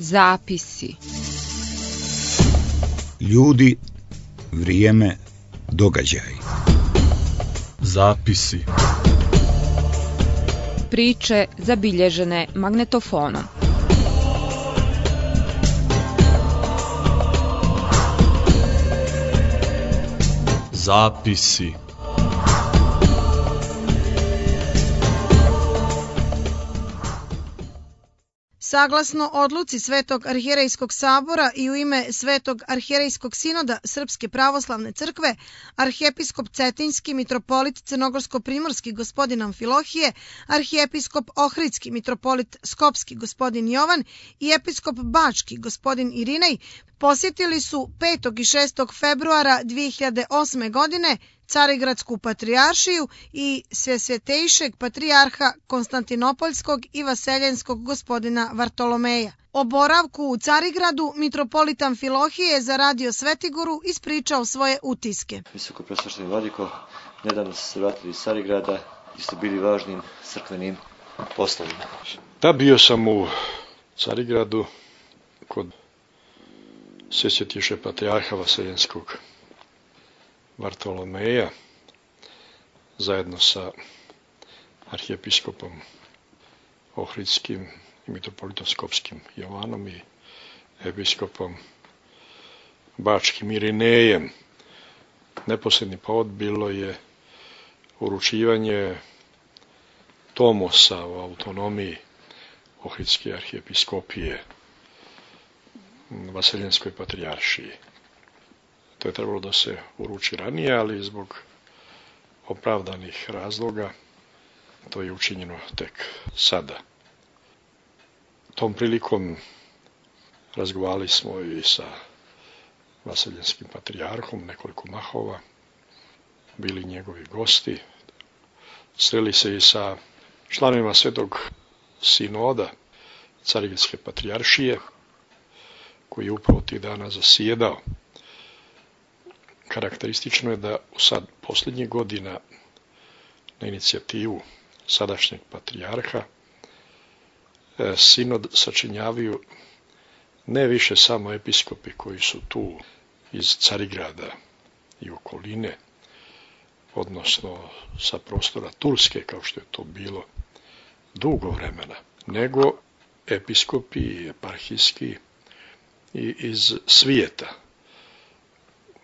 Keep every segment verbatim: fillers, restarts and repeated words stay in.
Zapisi. Ljudi, vrijeme, događaj. Zapisi. Priče zabilježene magnetofonom. Zapisi. Saglasno odluci Svetog arhijerejskog sabora i u ime Svetog arhijerejskog sinoda Srpske pravoslavne crkve, arhijepiskop Cetinjski mitropolit Crnogorsko-primorski gospodin Amfilohije, arhijepiskop Ohridski mitropolit Skopski gospodin Jovan i episkop Bački gospodin Irinej posjetili su petog i šestog februara dvije hiljade osme. godine Carigradsku patrijaršiju i Svesvetejšeg patrijarha Konstantinopoljskog i Vaseljenskog gospodina Vartolomeja. O boravku u Carigradu mitropolit Amfilohije za radio Svetigoru ispričao svoje utiske. Visoko preosvešteni vladiko, nedavno ste se vratili iz Carigrada i ste bili važnim crkvenim poslovima. Da, bio sam u Carigradu kod Svesvetejšeg patrijarha Vaseljenskog Vartolomeja zajedno sa arhijepiskopom Ohridskim i mitropolitom Skopskim Jovanom i episkopom Bačkim Irinejem. Neposredni povod bilo je uručivanje tomosa o autonomiji Ohridske arhijepiskopije Vaseljenskoj patrijaršiji. To je trebalo da se uruči ranije, ali zbog opravdanih razloga to je učinjeno tek sada. Tom prilikom razgovarali smo i sa Vaseljenskim patrijarhom, nekoliko mahova, bili njegovi gosti. Sreli se i sa članovima Svetog sinoda Carigradske patrijaršije, koji je upravo tih dana zasjedao. Karakteristično je da sad posljednjih godina na inicijativu sadašnjeg patrijarha sinod sačinjavaju ne više samo episkopi koji su tu iz Carigrada i okoline, odnosno sa prostora Turske, kao što je to bilo dugo vremena, nego episkopi eparhijski i iz svijeta.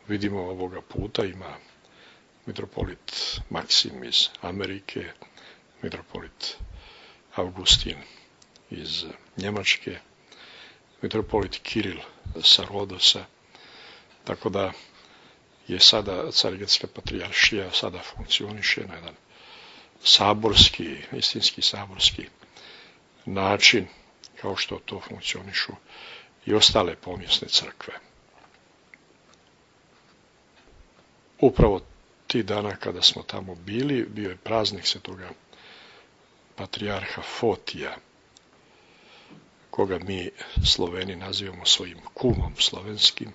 Vidimo ovoga puta ima mitropolit Maksim iz Amerike, mitropolit Augustin iz Njemačke, mitropolit Kiril sa Rodosa, tako da je sada Carigradska patrijaršija sada funkcioniše na jedan saborski, istinski saborski način, kao što to funkcionišu i ostale pomjesne crkve. Upravo ti dana kada smo tamo bili, bio je praznik svetoga patrijarha Fotija, koga mi Sloveni nazivamo svojim kumom slovenskim.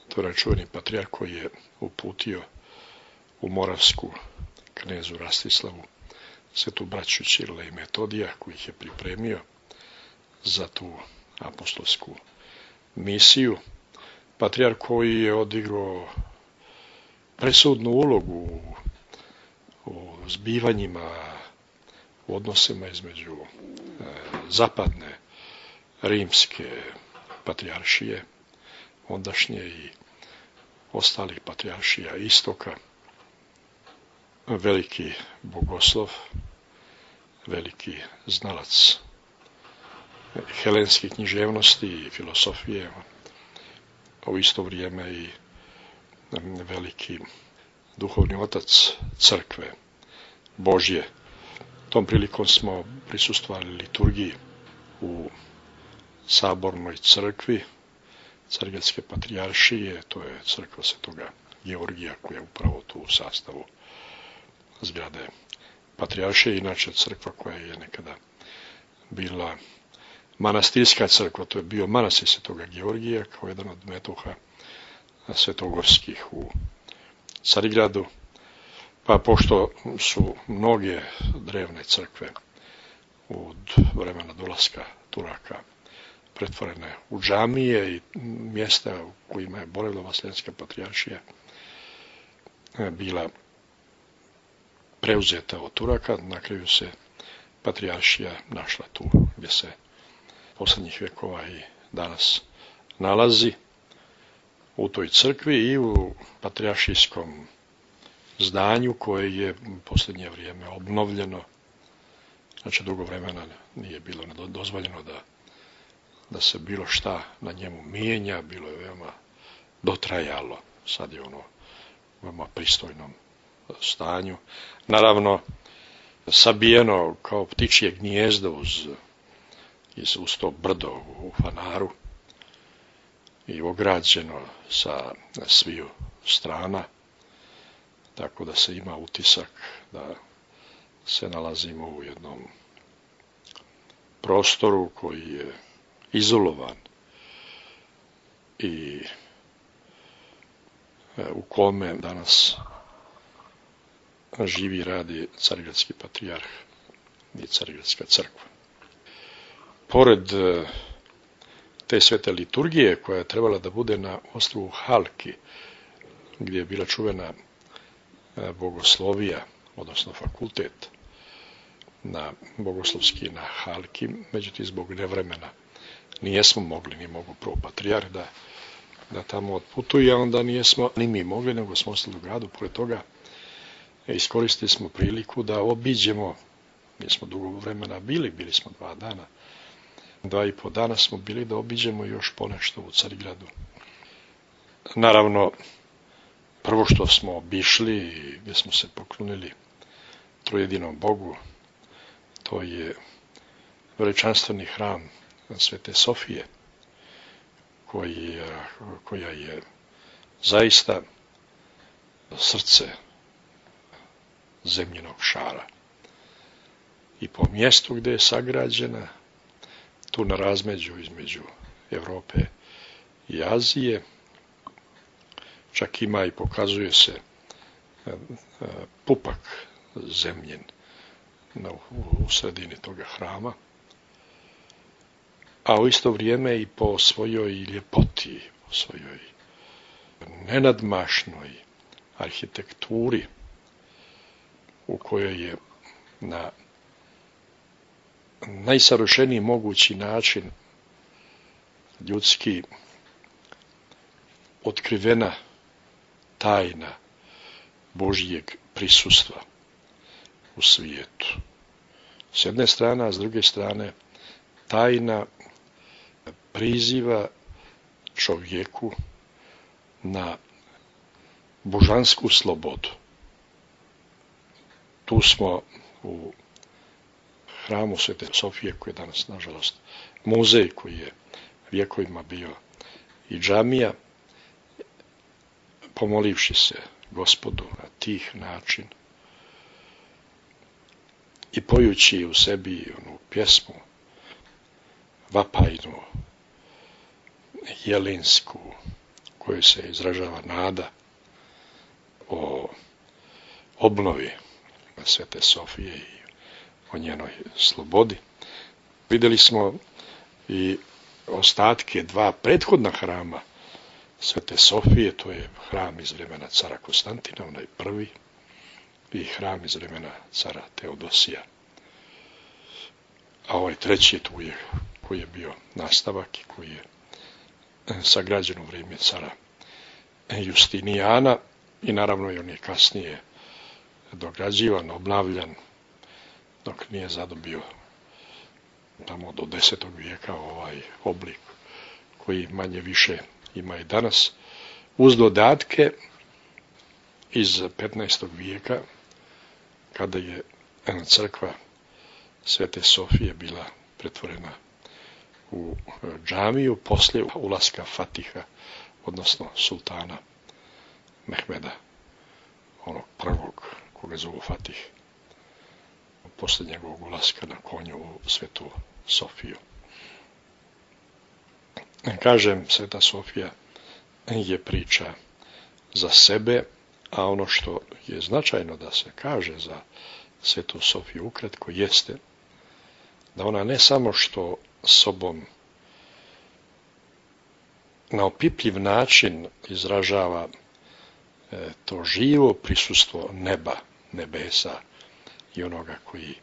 To je čuveni patrijarh koji je uputio u Moravsku knezu Rastislavu svetu braću Ćirila i Metodija, koji ih je pripremio za tu apostolsku misiju. Patrijarh koji je odigrao presudnu ulogu u zbivanjima, u odnosima između zapadne rimske patrijaršije, ondašnje i ostalih patrijaršija istoka, veliki bogoslov, veliki znalac helenskih književnosti i filosofije, a u isto vrijeme i veliki duhovni otac crkve Božje. Tom prilikom smo prisustvovali liturgiji u sabornoj crkvi Carigradske patrijaršije, to je crkva svetoga Georgija koja je upravo tu u sastavu zgrade patrijaršije, inače crkva koja je nekada bila manastirska crkva, to je bio manastir svetoga Georgija kao jedan od metoha svetogorskih u Carigradu, pa pošto su mnoge drevne crkve od vremena dolaska Turaka pretvorene u džamije i mjesta u kojima je Borilovo-Sremska patrijaršija bila preuzeta od Turaka. Na kraju se patrijaršija našla tu gdje se posljednjih vjekova i danas nalazi, u toj crkvi i u patrijaršijskom zdanju koje je u posljednje vrijeme obnovljeno. Znači, dugo vremena nije bilo dozvoljeno da, da se bilo šta na njemu mijenja, bilo je veoma dotrajalo. Sad je ono u veoma pristojnom stanju. Naravno, sabijeno kao ptičje gnijezdo uz, uz to brdo u Fanaru i ograđeno sa sviju strana, tako da se ima utisak da se nalazimo u jednom prostoru koji je izolovan i u kome danas živi i radi Carigradski patrijarh i Carigradska crkva. Pored te svete liturgije koja je trebala da bude na ostrvu Halki, gdje je bila čuvena bogoslovija, odnosno fakultet na bogoslovski na Halki, međutim zbog nevremena nijesmo mogli, ni mogu prvo patrijarh da, da tamo otputuje, a onda nijesmo ni mi mogli, nego smo ostali u gradu. Pored toga iskoristili smo priliku da obiđemo, nismo dugo vremena bili, bili smo dva dana, dva i po dana smo bili da obiđemo još ponešto u Carigradu. Naravno, prvo što smo obišli i gdje smo se poklonili trojedinom Bogu, to je veličanstveni hram Svete Sofije, koji, koja je zaista srce zemljinog šara. I po mjestu gdje je sagrađena, tu na razmeđu između Europe i Azije, čak ima i pokazuje se pupak zemljen u sredini toga hrama, a u isto vrijeme i po svojoj ljepoti, po svojoj nenadmašnoj arhitekturi, u kojoj je na najsavršeniji mogući način ljudski otkrivena tajna Božjeg prisustva u svijetu. S jedne strane, a s druge strane tajna priziva čovjeku na božansku slobodu. Tu smo u hramu Svete Sofije, koji je danas, nažalost, muzej, koji je vjekovima bio i džamija, pomolivši se Gospodu na tih način i pojući u sebi onu pjesmu vapajnu, jelinsku, koju se izražava nada o obnovi Svete Sofije i o njenoj slobodi. Vidjeli smo i ostatke dva prethodna hrama Svete Sofije, to je hram iz vremena cara Konstantina, onaj prvi, i hram iz vremena cara Teodosija. A ovaj treći tu je, koji je bio nastavak i koji je sagrađen u vrijeme cara Justinijana i naravno i on je kasnije dograđivan, obnavljan, dok nije zadobio tamo do desetog vijeka ovaj oblik koji manje više ima i danas, uz dodatke iz petnaestog vijeka, kada je crkva Svete Sofije bila pretvorena u džamiju poslije ulaska Fatiha, odnosno sultana Mehmeda, onog prvog koga zovu Fatih, poslije njegovog ulaska na konju u Svetu Sofiju. Kažem, Sveta Sofija je priča za sebe, a ono što je značajno da se kaže za Svetu Sofiju ukratko jeste da ona ne samo što sobom na opipljiv način izražava to živo prisustvo neba, nebesa i onoga koji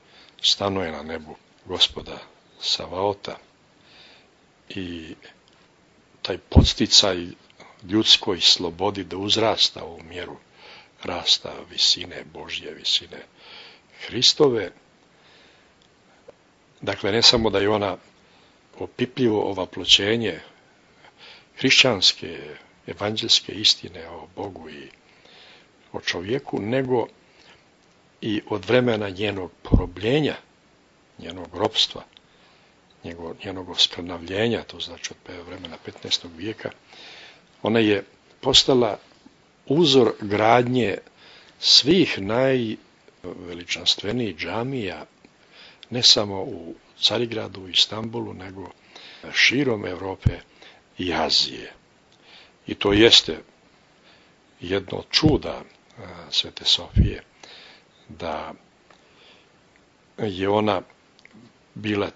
stanuje na nebu, Gospoda Savaota. I taj podsticaj ljudskoj slobodi da uzrasta u mjeru rasta visine Božje, visine Hristove. Dakle, ne samo da je ona opipljivo ovaploćenje hrišćanske, evanđelske istine o Bogu i o čovjeku, nego i od vremena njenog porobljenja, njenog ropstva, njenog, njenog oskrnavljenja, to znači od vremena petnaestog vijeka, ona je postala uzor gradnje svih najveličanstvenijih džamija, ne samo u Carigradu i Istanbulu, nego širom Europe i Azije. I to jeste jedno od čuda Svete Sofije, da je ona bila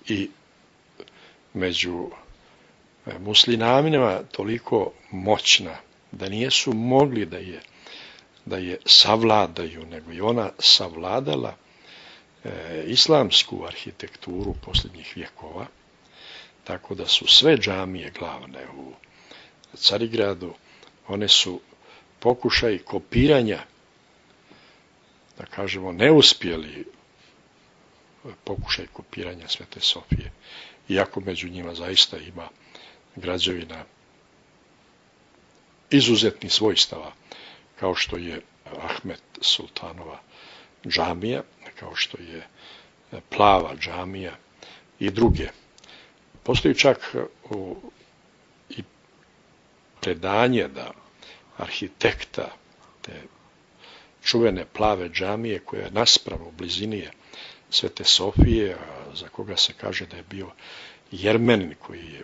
i među muslimanima toliko moćna da nijesu mogli da je, da je savladaju, nego je ona savladala e, islamsku arhitekturu posljednjih vjekova, tako da su sve džamije glavne u Carigradu, one su pokušaj kopiranja, da kažemo neuspjeli pokušaj kopiranja Svete Sofije, iako među njima zaista ima građevina izuzetnih svojstava, kao što je Ahmet Sultanova džamija, kao što je Plava džamija i druge. Postoji čak u, i predanje da arhitekta te čuvene Plave džamije, koja je naspravo u blizini je Svete Sofije, a za koga se kaže da je bio Jermenin koji je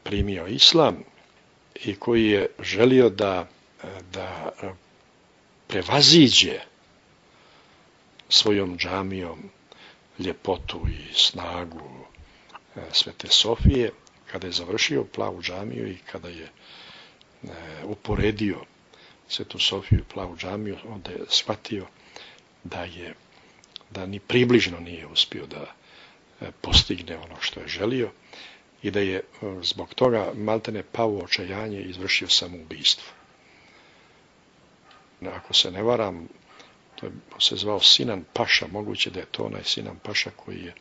primio islam i koji je želio da, da prevaziđe svojom džamijom ljepotu i snagu Svete Sofije, kada je završio Plavu džamiju i kada je uporedio Svetu Sofiju i Plavu džamiju, onda je shvatio da je da ni približno nije uspio da postigne ono što je želio i da je zbog toga maltene pao u očajanje i izvršio samoubistvo. Ako se ne varam, to je se zvao Sinan Paša, moguće da je to onaj Sinan Paša koji je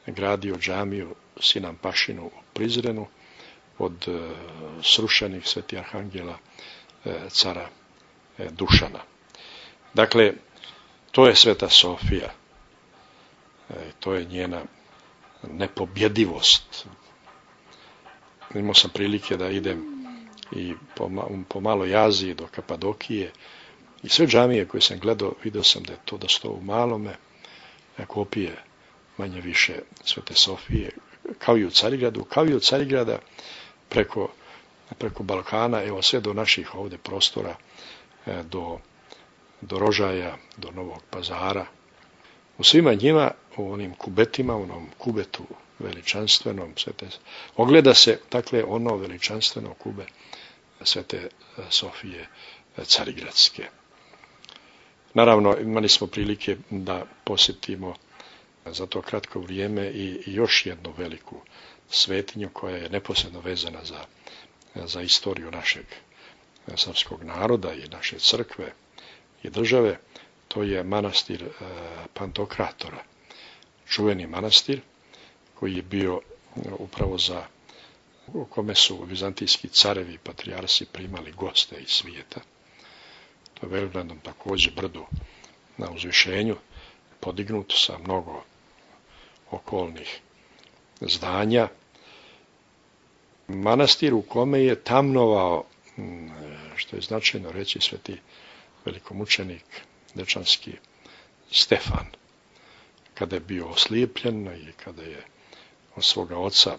gradio džamiju Sinan Pašinu u Prizrenu od srušenih Sveti Arhangela cara Dušana. Dakle, to je Sveta Sofija, to je njena nepobjedivost. Imao sam prilike da idem i po, po maloj Aziji do Kapadokije i sve džamije koje sam gledao, vidio sam da je to da sto u malome kopije manje više Svete Sofije, kao i u Carigradu, kao i u Carigrada preko, preko Balkana, evo sve do naših ovdje prostora, do, do Rožaja, do Novog Pazara. U svima njima, u onim kubetima, u onom kubetu veličanstvenom, svete, ogleda se, dakle, ono veličanstveno kube Svete Sofije Carigradske. Naravno, imali smo prilike da posjetimo za to kratko vrijeme i još jednu veliku svetinju koja je neposredno vezana za, za istoriju našeg srpskog naroda i naše crkve i države. To je manastir Pantokratora, čuveni manastir koji je bio upravo za, u kome su vizantijski carevi i patrijarsi primali goste iz svijeta. To je velikom također brdu na uzvišenju, podignuto sa mnogo okolnih zdanja. Manastir u kome je tamnovao, što je značajno reći, sveti velikomučenik dečanski Stefan, kada je bio oslijepljen i kada je od svoga oca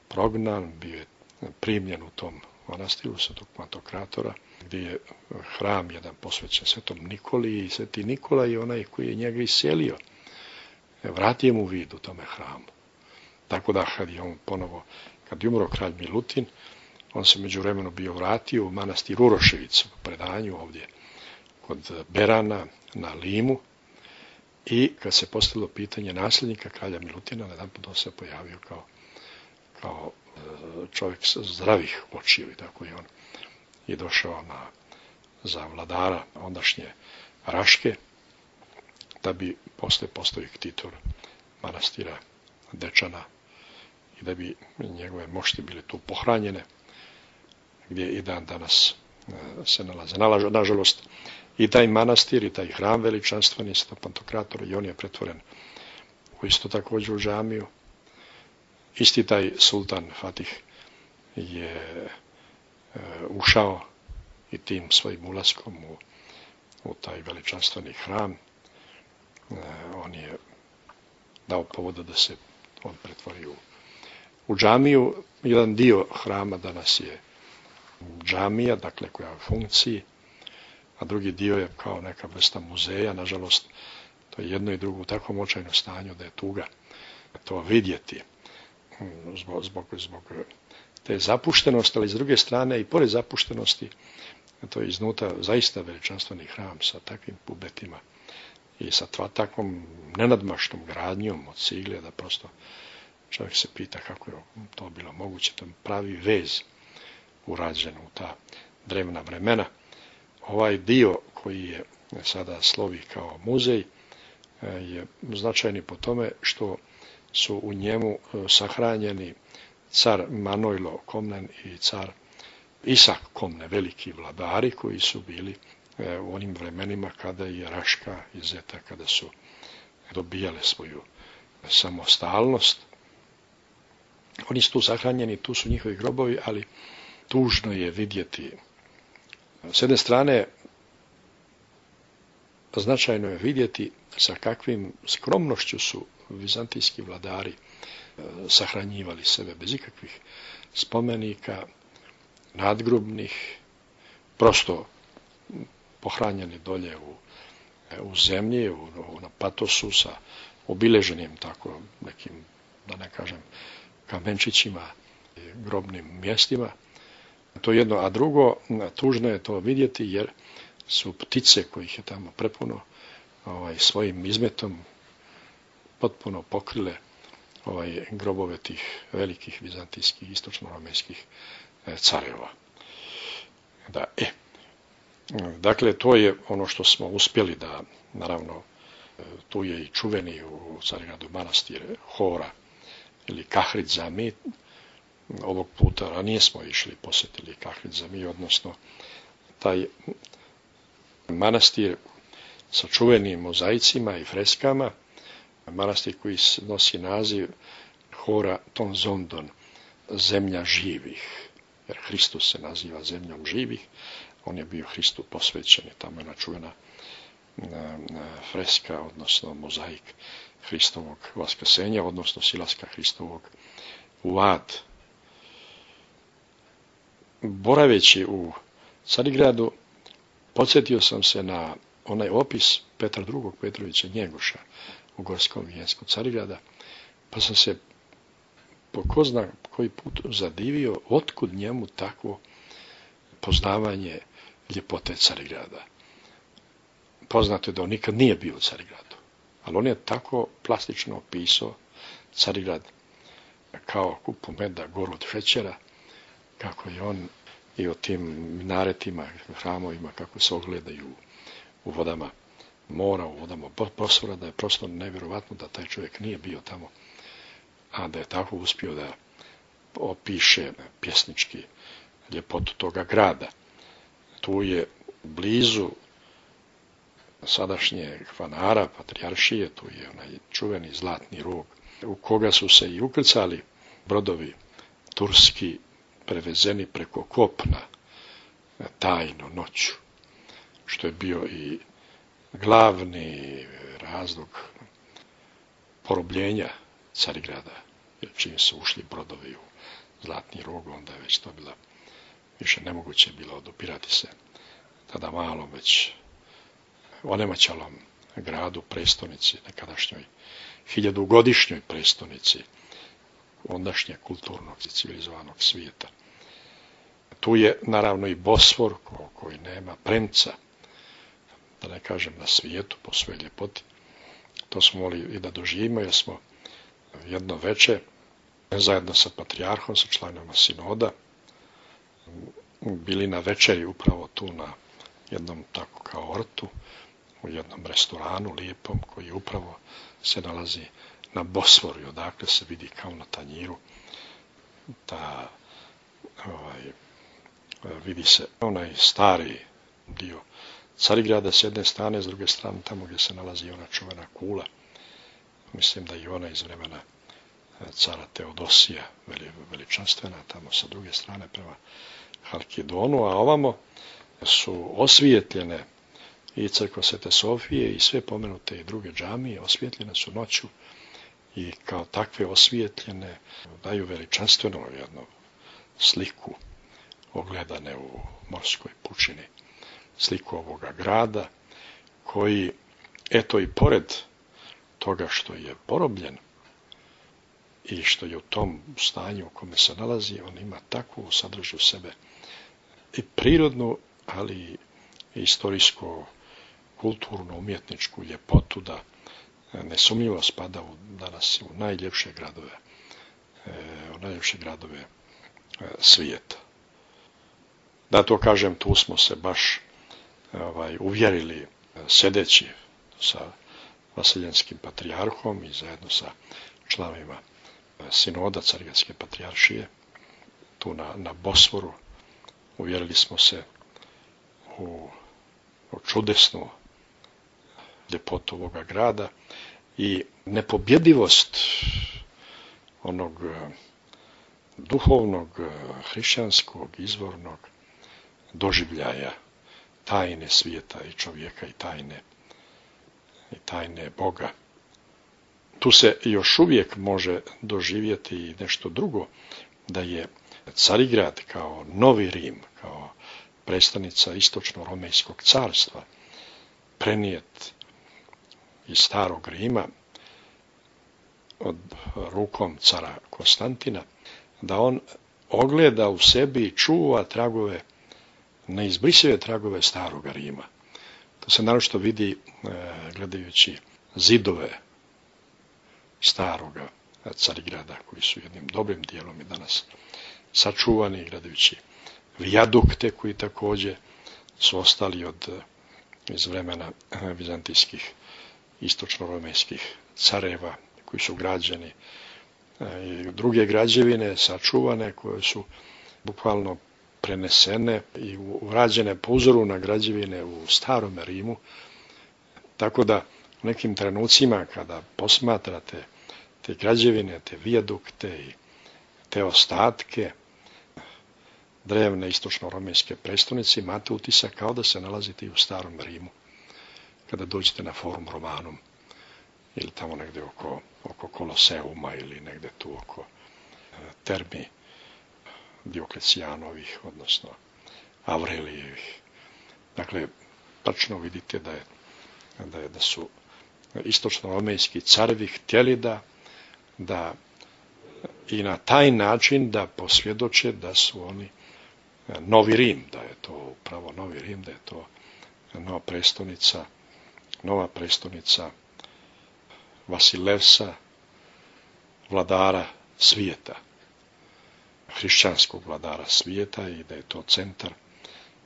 prognan, bio je primljen u tom manastiru Svetog Pantokratora, gdje je hram jedan posvećen Svetom Nikoli i Sveti Nikola je onaj koji je njega iselio. Vratio mu vid u tome hramu. Tako da kad je on ponovo, kad je umro kralj Milutin, On se međuvremeno bio vratio u manastir Uroševicu, u predanju ovdje kod Berana na Limu, i kad se postavilo pitanje nasljednika kralja Milutina, na jedan put on se pojavio kao, kao čovjek zdravih očiju, i tako je on i došao na, za vladara ondašnje Raške, da bi posle postao ktitor manastira Dečana i da bi njegove mošti bile tu pohranjene, gdje i dan danas se nalaze. Nažalost, i taj manastir i taj hram veličanstveni sa Pantokratora, i on je pretvoren u isto također u džamiju. Isti taj sultan Fatih je e, ušao i tim svojim ulaskom u, u taj veličanstveni hram, e, on je dao povoda da se on pretvori u, u džamiju. Jedan dio hrama danas je džamija, dakle koja je u funkciji, a drugi dio je kao neka vrsta muzeja. Nažalost, to je jedno i drugo u takvom očajnom stanju da je tuga to vidjeti zbog, zbog, zbog te zapuštenosti, ali s druge strane i pored zapuštenosti, to je iznutra zaista veličanstveni hram sa takvim pubetima i sa tva, takvom nenadmašnom gradnjom od cigle, da prosto čovjek se pita kako je to bilo moguće. To pravi vez urađen u ta drevna vremena. Ovaj dio koji je sada slovi kao muzej je značajni po tome što su u njemu sahranjeni car Manojlo Komnen i car Isak Komne, veliki vladari koji su bili u onim vremenima kada je Raška i Zeta, kada su dobijale svoju samostalnost. Oni su tu sahranjeni, tu su njihovi grobovi, ali tužno je vidjeti. S jedne strane, značajno je vidjeti sa kakvim skromnošću su vizantijski vladari sahranjivali sebe, bez ikakvih spomenika, nadgrobnih, prosto pohranjeni dolje u, u zemlji, u, u, na patosu sa obileženim tako nekim, da ne kažem, kamenčićima, grobnim mjestima. To jedno, a drugo, tužno je to vidjeti jer su ptice kojih je tamo prepuno ovaj, svojim izmetom potpuno pokrile ovaj, grobove tih velikih vizantijskih istočno-romenskih careva. Da, e, dakle, to je ono što smo uspjeli da, naravno, tu je i čuveni u Carigradu manastir Hora ili Kahrid Zami. Ovog puta ranije smo išli, posjetili Kahrid Zami, odnosno taj manastir sa čuvenim mozaicima i freskama, manastir koji nosi naziv Hora Tonzondon, zemlja živih, jer Hristos se naziva zemljom živih, on je bio Hristu posvećen i tamo je načuvena freska, odnosno mozaik Hristovog vaskrsenja, odnosno silaska Hristovog u ad. Boraveći u Carigradu, podsjetio sam se na onaj opis Petra drugog Petrovića Njegoša u Gorskom vijenjsku Carigrada, pa sam se po ko zna koji put zadivio otkud njemu takvo poznavanje ljepote Carigrada. Poznato je da on nikad nije bio u Carigradu, ali on je tako plastično opisao Carigrad kao kupu meda, goru od šećera, kako je on i o tim minaretima, hramovima, kako se ogledaju u vodama mora, u vodama Bosfora, da je prosto nevjerovatno da taj čovjek nije bio tamo, a da je tako uspio da opiše pjesnički ljepotu toga grada. Tu je blizu sadašnje Hvanara, patrijaršije, tu je onaj čuveni Zlatni rog, u koga su se i ukrcali brodovi turski prevezeni preko kopna tajno noću, što je bio i glavni razlog porobljenja Carigrada, jer čim su ušli brodovi u Zlatni rog, onda je već to bila, više nemoguće bilo odupirati se tada malom, već onemaćalom gradu, prestonici, nekadašnjoj hiljadugodišnjoj prestonici ondašnje kulturnog i civilizovanog svijeta. Tu je naravno i Bosfor koji nema premca, da ne kažem na svijetu po svoj ljepoti. To smo mogli i da doživimo jer smo jedno veče zajedno sa patrijarhom, sa članovima sinoda, bili na večeri upravo tu na jednom tako kao ortu, u jednom restoranu lijepom koji upravo se nalazi na Bosforu i odakle se vidi kao na tanjiru ta, ovaj, vidi se onaj stari dio Carigrada s jedne strane, s druge strane tamo gdje se nalazi ona čuvena kula. Mislim da i ona iz vremena cara Teodosija, veličanstvena, tamo sa druge strane prema Halkidonu, a ovamo su osvijetljene i crkva Svete Sofije i sve pomenute i druge džamije, osvijetljene su noću i kao takve osvijetljene daju veličanstveno jednu sliku ogledane u morskoj pučini, sliku ovoga grada koji, eto i pored toga što je porobljen i što je u tom stanju u kome se nalazi, on ima takvu sadržu sebe i prirodnu, ali i istorijsku, kulturnu, umjetničku ljepotu da nesumnjivo spada u, danas u najljepše gradove, u najljepše gradove svijeta. Da to kažem, tu smo se baš ovaj, uvjerili sedeći sa Vasiljenskim patrijarhom i zajedno sa članovima sinoda Carigradske patrijaršije, tu na, na Bosforu. Uvjerili smo se u, u čudesnu ljepotu ovoga grada i nepobjedivost onog duhovnog, hrišćanskog, izvornog doživljaja tajne svijeta i čovjeka i tajne, i tajne Boga. Tu se još uvijek može doživjeti i nešto drugo, da je Carigrad kao novi Rim, kao predstavnica istočno-romejskog carstva, prenijet iz starog Rima od rukom cara Konstantina, da on ogleda u sebi i čuva tragove, neizbrisive tragove starog Rima. To se naročito vidi gledajući zidove staroga Carigrada, koji su jednim dobrim dijelom i danas sačuvani, gledajući vijadukte koji također su ostali od, iz vremena vizantijskih istočno-romejskih careva, koji su građeni, i druge građevine sačuvane koje su bukvalno prenesene i urađene po uzoru na građevine u starom Rimu, tako da u nekim trenucima kada posmatrate te građevine, te vijadukte i te ostatke drevne istočno-romejske prestonice, imate utisak kao da se nalazite i u starom Rimu kada dođete na Forum Romanum ili tamo negdje oko, oko Koloseuma ili negdje tu oko termi Dioklecijanovih, odnosno Avrelijevih. Dakle, tačno vidite da, je, da, je, da su istočno-romejski carevi htjeli da, da i na taj način da posvjedoče da su oni novi Rim, da je to upravo novi Rim, da je to nova prestonica, nova prestonica Vasilevsa, vladara svijeta, hrišćanskog vladara svijeta, i da je to centar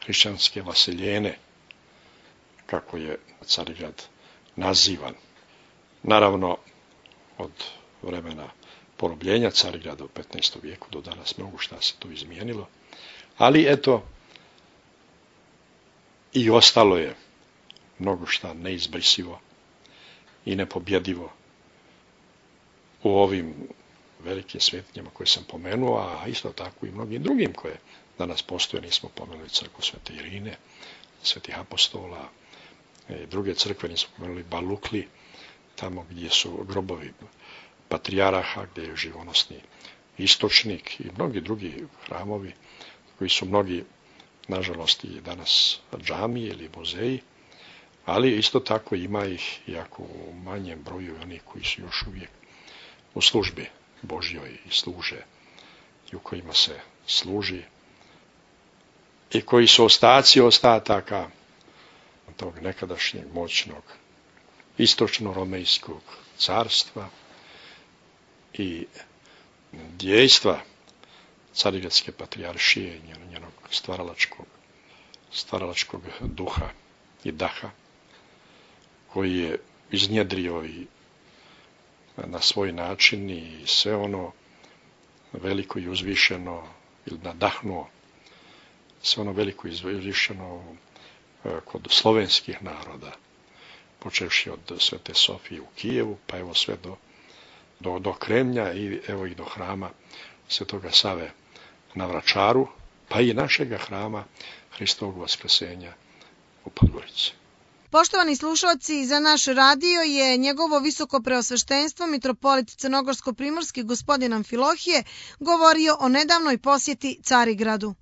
hrišćanske Vasiljene, kako je Carigrad nazivan. Naravno, od vremena porobljenja Carigrada u petnaestom vijeku do danas mnogo šta se tu izmijenilo, ali eto, i ostalo je mnogo šta neizbrisivo i nepobjedivo u ovim velikim svetinjama koje sam pomenuo, a isto tako i mnogim drugim koje danas postoje. Nismo pomenuli crkvu Svete Irine, Svetih apostola i druge crkve, nismo pomenuli Balukli, tamo gdje su grobovi patrijaraha, gdje je živonosni istočnik i mnogi drugi hramovi koji su mnogi, nažalost, i danas džamije ili muzeji, ali isto tako ima ih, iako u manjem broju, onih koji su još uvijek u službi Božjoj i služe i u kojima se služi i koji su ostaci ostataka tog nekadašnjeg moćnog istočno-romejskog carstva i djejstva Carigradske patrijaršije i njenog stvaralačkog, stvaralačkog duha i daha, koji je iznjedrio i na svoj način i sve ono veliko i uzvišeno ili nadahnuo, sve ono veliko i uzvišeno kod slovenskih naroda, počevši od Svete Sofije u Kijevu, pa evo sve do, do, do Kremlja i evo i do hrama Svetoga Save na Vračaru, pa i našega hrama Hristovog Vaskrsenja u Podgorici. Poštovani slušalci, za naš radio je njegovo visoko preosveštenstvo mitropolit Crnogorsko-primorski gospodin Amfilohije govorio o nedavnoj posjeti Carigradu.